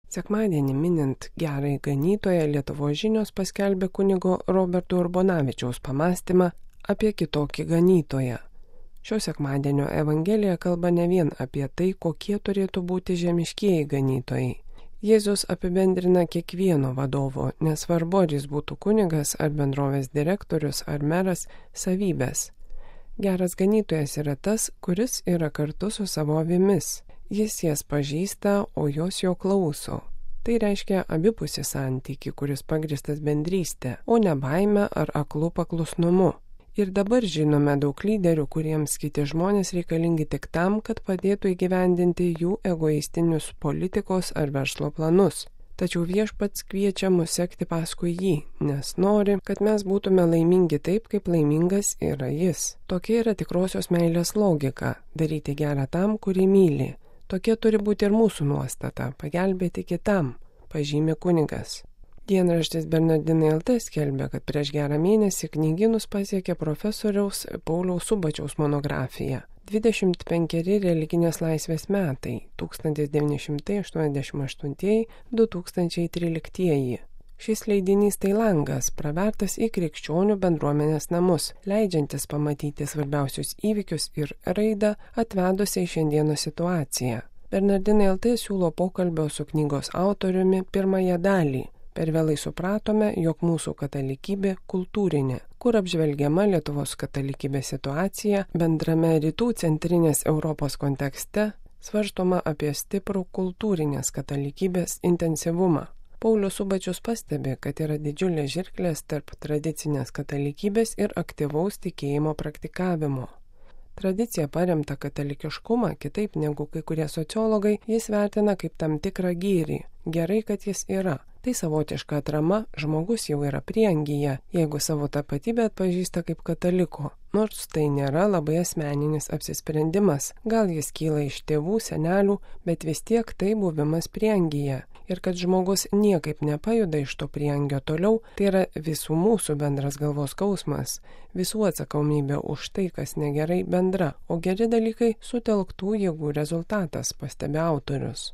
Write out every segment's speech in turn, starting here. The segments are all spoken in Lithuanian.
Sekmadienį minint gerąjį ganytoją Lietuvos žinios paskelbė kunigo Roberto Urbonavičiaus pamąstymą apie kitokį ganytoją. Šio sekmadienio Evangelija kalba ne vien apie tai, kokie turėtų būti žemiškieji ganytojai. Jėzus apibendrina kiekvieno vadovo, nesvarbu ar jis būtų kunigas ar bendrovės direktorius ar meras, savybės. Geras ganytojas yra tas, kuris yra kartu su savo avimis. Jis jas pažįsta, o jos jo klauso. Tai reiškia abipusį santykį, kuris pagristas bendrystė, o ne baime ar aklų paklusnumu. Ir dabar žinome daug lyderių, kuriems kiti žmonės reikalingi tik tam, kad padėtų įgyvendinti jų egoistinius politikos ar verslo planus. Tačiau Viešpats kviečia mus sekti paskui jį, nes nori, kad mes būtume laimingi taip, kaip laimingas yra jis. Tokia yra tikrosios meilės logika – daryti gerą tam, kurį myli. Tokia turi būti ir mūsų nuostata – pagelbėti kitam, pažymi kunigas. Dienraštis Bernardinai LT skelbia, kad prieš gerą mėnesį knygynus pasiekė profesoriaus Pauliaus Subačiaus monografija 25 religinės laisvės metai 1988–2013. Šis leidinys tai langas, pravertas į krikščionių bendruomenės namus, leidžiantis pamatyti svarbiausius įvykius ir raidą atvedusią į šiandienos situaciją. Bernardinai LT siūlo pokalbio su knygos autoriumi pirmąją dalį. Per vėlai supratome, jog mūsų katalikybė kultūrinė, kur apžvelgiama Lietuvos katalikybės situacija bendrame rytų centrinės Europos kontekste, svarstoma apie stiprų kultūrinės katalikybės intensyvumą. Paulius Subačius pastebi, kad yra didžiulės žirklės tarp tradicinės katalikybės ir aktyvaus tikėjimo praktikavimo. Tradicija paremta katalikiškumą, kitaip negu kai kurie sociologai, jis vertina kaip tam tikrą gėrį. Gerai, kad jis yra. Tai savotiška atrama, žmogus jau yra prieangyje, jeigu savo tapatybę atpažįsta kaip kataliko. Nors tai nėra labai asmeninis apsisprendimas, gal jis kyla iš tėvų, senelių, bet vis tiek tai buvimas prieangyje. Ir kad žmogus niekaip nepajuda iš to prieangio toliau, tai yra visų mūsų bendras galvos skausmas, visų atsakomybė už tai, kas negerai bendra, o geri dalykai sutelktų jėgų rezultatas, pastebi autorius.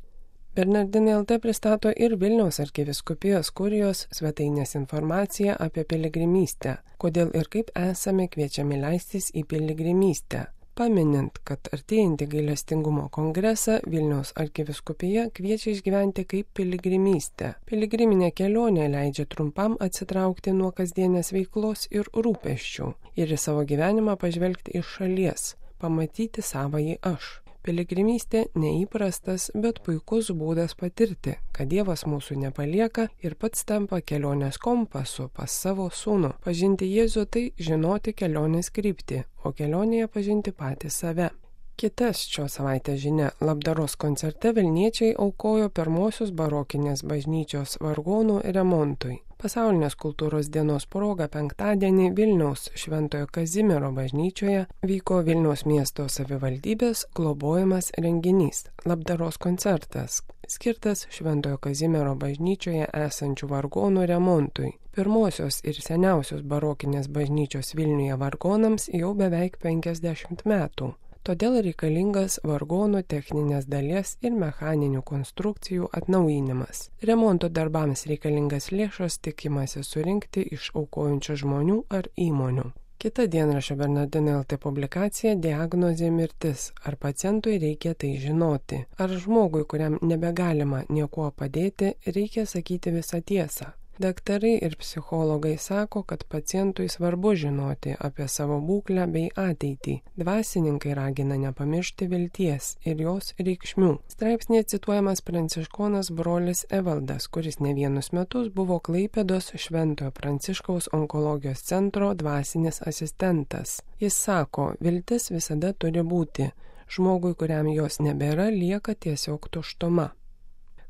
Bernardinai LT pristato ir Vilniaus arkivyskupijos kurijos svetainės informaciją apie piligrimystę, kodėl ir kaip esame kviečiami leistis į piligrimystę. Paminint, kad artėjantį gailestingumo kongresą Vilniaus arkivyskupija kviečia išgyventi kaip piligrimystę. Piligriminė kelionė leidžia trumpam atsitraukti nuo kasdienės veiklos ir rūpesčių ir į savo gyvenimą pažvelgti iš šalies, pamatyti savąjį aš. Piligrimystė neįprastas, bet puikus būdas patirti, kad Dievas mūsų nepalieka ir pats tampa kelionės kompasu pas savo sūnų. Pažinti Jėzų tai žinoti kelionės kryptį, o kelionėje pažinti patį save. Kitas šios savaitės žinia – labdaros koncerte vilniečiai aukojo pirmosios barokinės bažnyčios vargonų remontui. Pasaulinės kultūros dienos proga penktadienį Vilniaus Šventojo Kazimiero bažnyčioje vyko Vilniaus miesto savivaldybės globojamas renginys – labdaros koncertas, skirtas Šventojo Kazimiero bažnyčioje esančių vargonų remontui. Pirmosios ir seniausios barokinės bažnyčios Vilniuje vargonams jau beveik 50 metų. Todėl reikalingas vargonų techninės dalies ir mechaninių konstrukcijų atnaujinimas. Remonto darbams reikalingas lėšas tikimasi surinkti iš aukojančių žmonių ar įmonių. Kita dienraščio Bernardinai LT publikacija – diagnozė mirtis. Ar pacientui reikia tai žinoti? Ar žmogui, kuriam nebegalima niekuo padėti, reikia sakyti visą tiesą? Daktarai ir psichologai sako, kad pacientui svarbu žinoti apie savo būklę bei ateitį. Dvasininkai ragina nepamiršti vilties ir jos reikšmių. Straipsnėje cituojamas pranciškonas brolis Evaldas, kuris ne vienus metus buvo Klaipėdos Šventojo Pranciškaus onkologijos centro dvasinis asistentas. Jis sako, viltis visada turi būti. Žmogui, kuriam jos nebėra, lieka tiesiog tuštuma.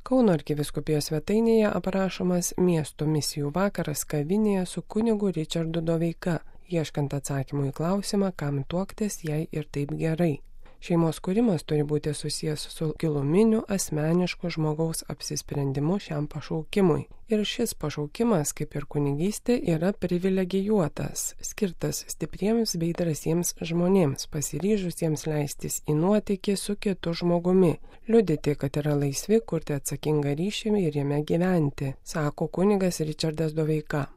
Kauno arkivyskupijos svetainėje aprašomas miesto misijų vakaras kavinėje su kunigu Ričardu Doveika, ieškant atsakymų į klausimą, kam tuoktis, jei ir taip gerai. Šeimos kūrimas turi būti susijęs su giluminiu asmenišku žmogaus apsisprendimu šiam pašaukimui. Ir šis pašaukimas, kaip ir kunigystė, yra privilegijuotas, skirtas stipriems bei drąsiems žmonėms, pasiryžusiems leistis į nuotykį su kitu žmogumi, liudyti, kad yra laisvi, kurti atsakingą ryšį ir jame gyventi, sako kunigas Ričardas Doveika.